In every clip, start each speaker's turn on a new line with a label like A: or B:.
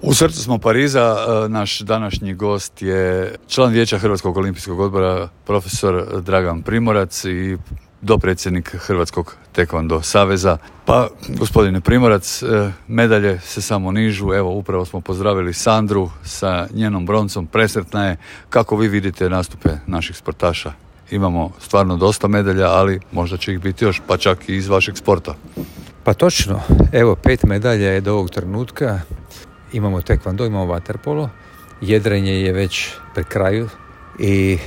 A: U srcu smo Pariza. Naš današnji gost je član vijeća Hrvatskog olimpijskog odbora profesor Dragan Primorac i dopredsjednik Hrvatskog tekvando saveza. Pa, gospodine Primorac, medalje se samo nižu. Evo, upravo smo pozdravili Sandru sa njenom broncom. Presretna je. Kako vi vidite nastupe naših sportaša? Imamo stvarno dosta medalja, ali možda će ih biti još, pa čak i iz vašeg sporta.
B: Pa točno. Evo, 5 medalja je do ovog trenutka. Imamo tekvando, imamo vaterpolo. Jedrenje je već pri kraju i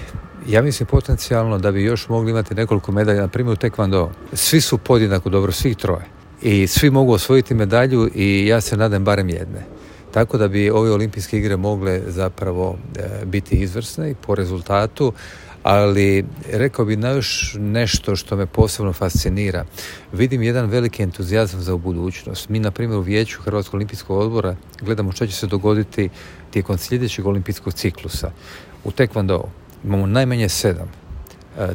B: ja mislim potencijalno da bi još mogli imati nekoliko medalja, na primjer u tekvando. Svi su podjednako dobro, svih troje. I svi mogu osvojiti medalju i ja se nadam barem jedne. Tako da bi ove olimpijske igre mogle zapravo biti izvrsne i po rezultatu, ali rekao bi na još nešto što me posebno fascinira. Vidim jedan veliki entuzijazam za budućnost. Mi, na primjer, u vijeću Hrvatskog olimpijskog odbora gledamo što će se dogoditi tijekom sljedećeg olimpijskog ciklusa. U tekvandou imamo najmanje 7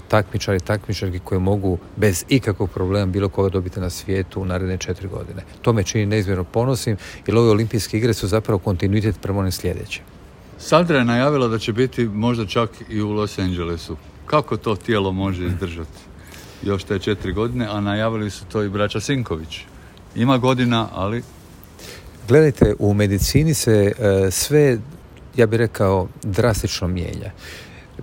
B: takmičari i takmičarki koji mogu bez ikakvog problema bilo koga dobiti na svijetu u naredne 4 godine. To me čini neizmjerno ponosim, jer ove olimpijske igre su zapravo kontinuitet prema onim sljedećim.
A: Sandra je najavila da će biti možda čak i u Los Angelesu. Kako to tijelo može izdržati još te 4 godine, a najavili su to i braća Sinković. Ima godina, ali...
B: Gledajte, u medicini se sve, ja bih rekao, drastično mijenja.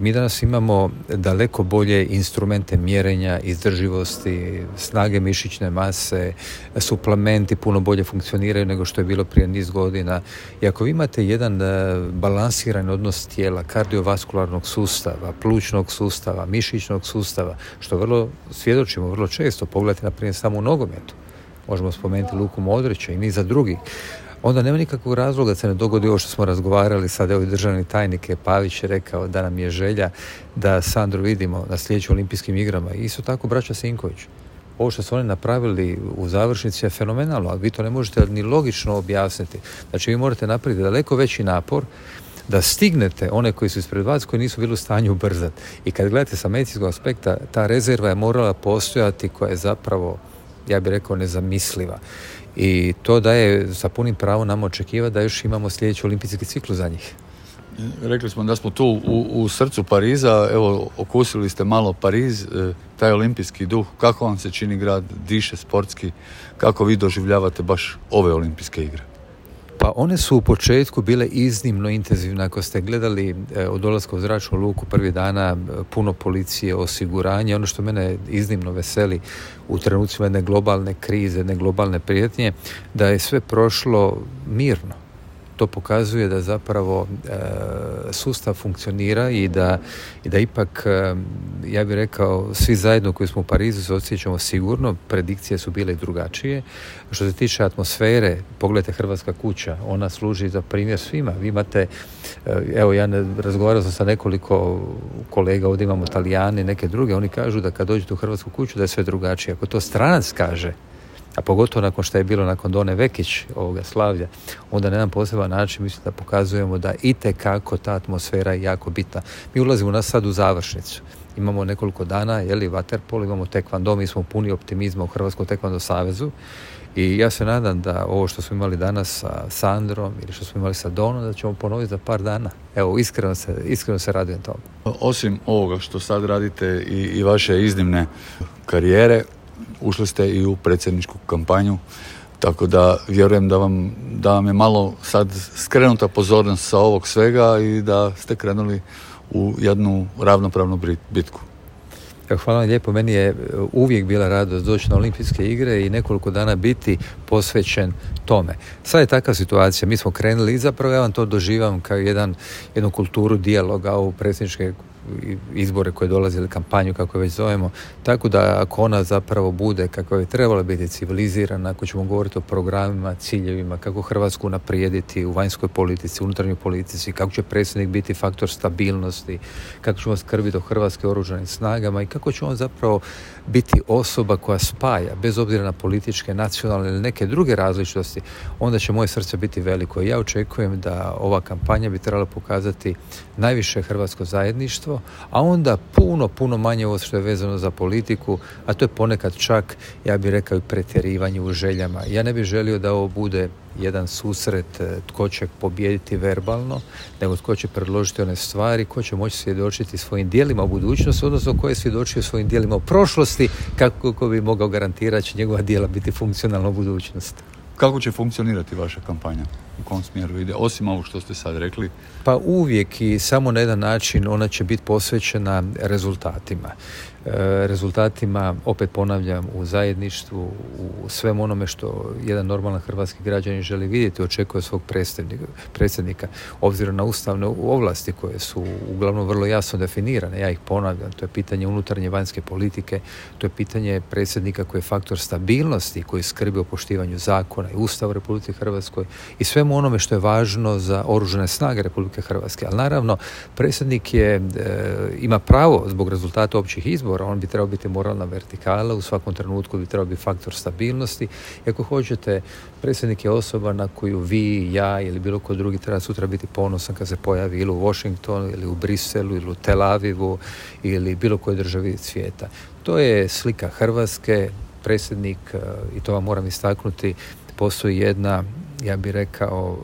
B: Mi danas imamo daleko bolje instrumente mjerenja, izdrživosti, snage mišićne mase, suplementi puno bolje funkcioniraju nego što je bilo prije niz godina. I ako vi imate jedan balansiran odnos tijela, kardiovaskularnog sustava, plućnog sustava, mišićnog sustava, što vrlo svjedočimo vrlo često, pogledajte na primjer samo u nogometu, možemo spomenuti Luku Modrića i niza drugih, onda nema nikakvog razloga da se ne dogodi ovo što smo razgovarali. Sad evo i državni tajnik Pavić je rekao da nam je želja da Sandru vidimo na sljedećim olimpijskim igrama. I isto tako braća Sinković. Ovo što su oni napravili u završnici je fenomenalno, ali vi to ne možete ni logično objasniti. Znači vi morate napraviti daleko veći napor da stignete one koji su ispred vas, koji nisu bili u stanju ubrzati. I kad gledate sa medicinskog aspekta, ta rezerva je morala postojati koja je zapravo, ja bih rekao, nezamisliva. I to daje sa punim pravom nam očekivati da još imamo sljedeći olimpijski ciklus za njih.
A: Rekli smo da smo tu u srcu Pariza, evo okusili ste malo Pariz, taj olimpijski duh, kako vam se čini grad, diše sportski, kako vi doživljavate baš ove olimpijske igre?
B: Pa one su u početku bile iznimno intenzivne. Ako ste gledali od dolaska u zračnu luku prvih dana, puno policije, osiguranje. Ono što mene iznimno veseli u trenucima jedne globalne krize, jedne globalne prijetnje, da je sve prošlo mirno. To pokazuje da zapravo sustav funkcionira i da ipak, ja bih rekao, svi zajedno koji smo u Parizu se osjećamo sigurno. Predikcije su bile drugačije. Što se tiče atmosfere, pogledajte Hrvatska kuća, ona služi za primjer svima. Vi imate, evo ja razgovarao sam sa nekoliko kolega, ovdje imamo Talijani, neke druge, oni kažu da kad dođete u Hrvatsku kuću da je sve drugačije. Ako to stranac kaže, a pogotovo nakon što je bilo nakon Done Vekić ovoga slavlja, onda na jedan poseban način mislim da pokazujemo da itekako ta atmosfera je jako bitna. Mi ulazimo sad u završnicu. Imamo nekoliko dana, vaterpolo, imamo tekvando, mi smo puni optimizma u Hrvatskom tekvando savezu i ja se nadam da ovo što smo imali danas sa Sandrom ili što smo imali sa Donom, da ćemo ponoviti za par dana. Evo, iskreno se radujem tome.
A: Osim ovoga što sad radite i vaše iznimne karijere, ušli ste i u predsjedničku kampanju, tako da vjerujem da vam je malo sad skrenuta pozornost sa ovog svega i da ste krenuli u jednu ravnopravnu bitku.
B: Hvala vam lijepo. Meni je uvijek bila radost doći na olimpijske igre i nekoliko dana biti posvećen tome. Sad je takva situacija. Mi smo krenuli i zapravo ja vam to doživam kao jednu kulturu dijaloga u predsjedničke izbore koje dolaze ili kampanju kako je već zovemo, tako da ako ona zapravo bude kako je trebala biti civilizirana, ako ćemo govoriti o programima, ciljevima, kako Hrvatsku unaprijediti u vanjskoj politici, unutarnjoj politici, kako će predsjednik biti faktor stabilnosti, kako ćemo skrbiti o hrvatskim oružanim snagama i kako će on zapravo biti osoba koja spaja, bez obzira na političke, nacionalne ili neke druge različitosti, onda će moje srce biti veliko. Ja očekujem da ova kampanja bi trebala pokazati najviše hrvatsko zajedništvo, to, a onda puno manje ovo što je vezano za politiku, a to je ponekad čak, ja bih rekao, i pretjerivanje u željama. Ja ne bih želio da ovo bude jedan susret tko će pobijediti verbalno, nego tko će predložiti one stvari, ko će moći svjedočiti svojim djelima u budućnosti, odnosno ko je svjedočio svojim djelima u prošlosti, kako bi mogao garantirati će njegova djela biti funkcionalna u budućnosti.
A: Kako će funkcionirati vaša kampanja? U kom smjeru ide? Osim ovog što ste sad rekli.
B: Pa uvijek i samo na jedan način ona će biti posvećena rezultatima. Rezultatima, opet ponavljam, u zajedništvu, u svem onome što jedan normalan hrvatski građanin želi vidjeti, očekuje svog predsjednika, obzirom na ustavne ovlasti koje su uglavnom vrlo jasno definirane. Ja ih ponavljam, to je pitanje unutarnje i vanjske politike, to je pitanje predsjednika koji je faktor stabilnosti, koji skrbi o poštivanju zakona i Ustava Republike Hrvatskoj i svemu onome što je važno za oružane snage Republike Hrvatske. Ali naravno, predsjednik ima pravo zbog rezultata općih izbora, on bi trebao biti moralna vertikala, u svakom trenutku bi trebao biti faktor stabilnosti. I ako hoćete, predsjednik je osoba na koju vi, ja ili bilo ko drugi treba sutra biti ponosan kad se pojavi ili u Washingtonu, ili u Briselu, ili u Tel Avivu, ili bilo kojoj državi svijeta. To je slika Hrvatske. Predsjednik, i to vam moram istaknuti, postoji jedna, ja bih rekao,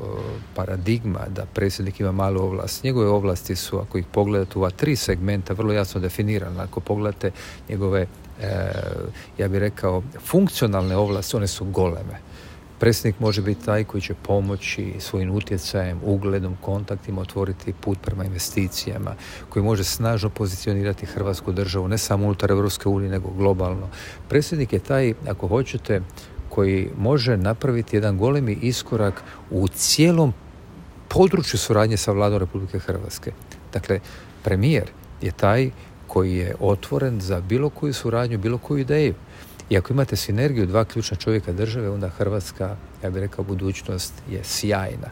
B: paradigma da predsjednik ima malu ovlast. Njegove ovlasti su, ako ih pogledate u ova 3 segmenta, vrlo jasno definirane. Ako pogledate njegove, ja bih rekao, funkcionalne ovlasti, one su goleme. Predsjednik može biti taj koji će pomoći svojim utjecajem, ugledom, kontaktima otvoriti put prema investicijama, koji može snažno pozicionirati Hrvatsku državu, ne samo unutar Europske unije, nego globalno. Predsjednik je taj, ako hoćete, koji može napraviti jedan golemi iskorak u cijelom području suradnje sa Vladom Republike Hrvatske. Dakle, premijer je taj koji je otvoren za bilo koju suradnju, bilo koju ideju. I ako imate sinergiju 2 ključna čovjeka države, onda Hrvatska, ja bih rekao, budućnost je sjajna.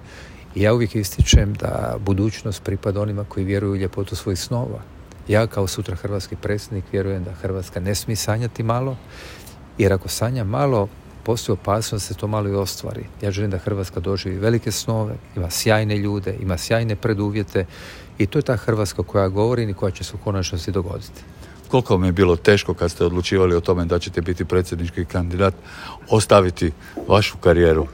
B: I ja uvijek ističem da budućnost pripada onima koji vjeruju u ljepotu svojih snova. Ja kao sutra hrvatski predsjednik vjerujem da Hrvatska ne smije sanjati malo, jer ako sanja malo, postoji opasnost da se to malo i ostvari. Ja želim da Hrvatska doživi velike snove, ima sjajne ljude, ima sjajne preduvjete i to je ta Hrvatska koja govorim i koja će se u konačnosti dogoditi.
A: Koliko vam je bilo teško kad ste odlučivali o tome da ćete biti predsjednički kandidat, ostaviti vašu karijeru,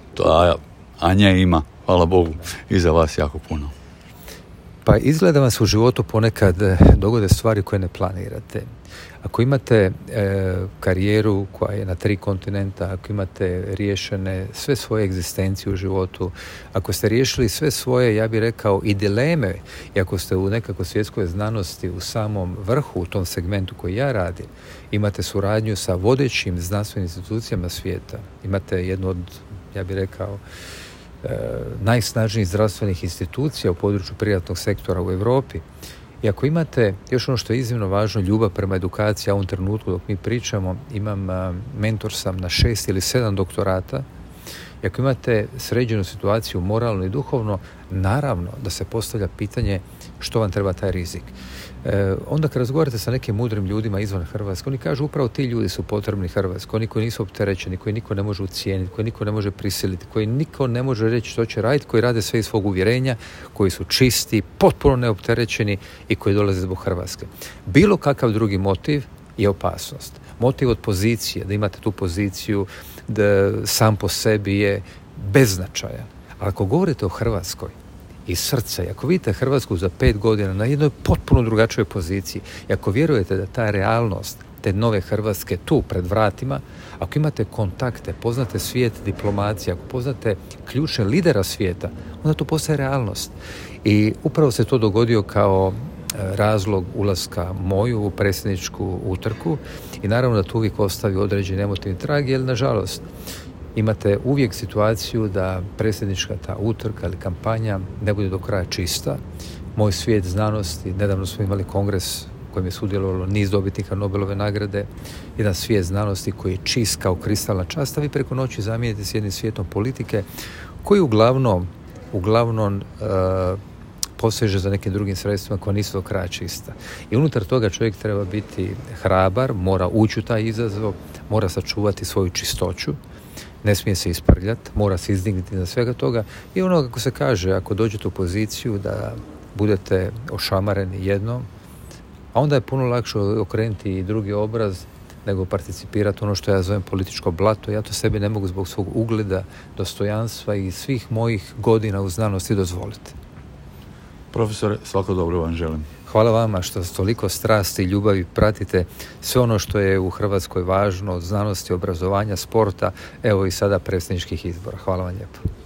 A: a nje ima, hvala Bogu, iza vas jako puno?
B: Pa izgleda vam se u životu ponekad dogode stvari koje ne planirate. Ako imate karijeru koja je na 3 kontinenta, ako imate riješene sve svoje egzistencije u životu, ako ste riješili sve svoje, ja bih rekao, i dileme, i ako ste u nekakvoj svjetskoj znanosti u samom vrhu u tom segmentu koji ja radim, imate suradnju sa vodećim znanstvenim institucijama svijeta, imate jednu od, ja bih rekao, najsnažnijih zdravstvenih institucija u području privatnog sektora u Europi. I ako imate, još ono što je iznimno važno, ljubav prema edukaciji, a u ovom trenutku dok mi pričamo, mentor sam na 6 ili 7 doktorata, i ako imate sređenu situaciju moralno i duhovno, naravno da se postavlja pitanje što vam treba taj rizik. Onda kad razgovarate sa nekim mudrim ljudima izvan Hrvatske, oni kažu upravo ti ljudi su potrebni Hrvatskoj, oni koji nisu opterećeni, koji niko ne može ucijeniti, koji niko ne može prisiliti, koji niko ne može reći što će raditi, koji rade sve iz svog uvjerenja, koji su čisti, potpuno neopterećeni i koji dolaze zbog Hrvatske. Bilo kakav drugi motiv je opasnost. Motiv od pozicije, da imate tu poziciju, da sam po sebi je beznačajan. Ali ako govorite o Hrvatskoj i srca, i ako vidite Hrvatsku za 5 godina na jednoj potpuno drugačijoj poziciji, i ako vjerujete da ta realnost te nove Hrvatske tu pred vratima, ako imate kontakte, poznate svijet diplomacije, ako poznate ključne lidera svijeta, onda to postaje realnost. I upravo se to dogodio kao razlog ulaska moju u predsjedničku utrku i naravno da tu uvijek ostavi određeni emotivni trag, jer nažalost imate uvijek situaciju da predsjednička ta utrka ili kampanja ne bude do kraja čista. Moj svijet znanosti, nedavno smo imali kongres u kojem je sudjelovalo niz dobitnika Nobelove nagrade, jedan svijet znanosti koji je čist kao kristalna čast, a vi preko noći zamijenite s jednim svijetom politike koji uglavnom poseže za nekim drugim sredstvima koja nisu do kraja čista. I unutar toga čovjek treba biti hrabar, mora ući u taj izazov, mora sačuvati svoju čistoću, ne smije se isprljati, mora se izdignuti na svega toga i ono kako se kaže, ako dođete u poziciju da budete ošamareni jednom, a onda je puno lakše okrenuti i drugi obraz nego participirati ono što ja zovem političko blato. Ja to sebi ne mogu zbog svog ugleda, dostojanstva i svih mojih godina u znanosti dozvoliti.
A: Profesore, svako dobro vam želim.
B: Hvala vama što s toliko strasti i ljubavi pratite sve ono što je u Hrvatskoj važno od znanosti, obrazovanja, sporta, evo i sada predsjedničkih izbora. Hvala vam lijepo.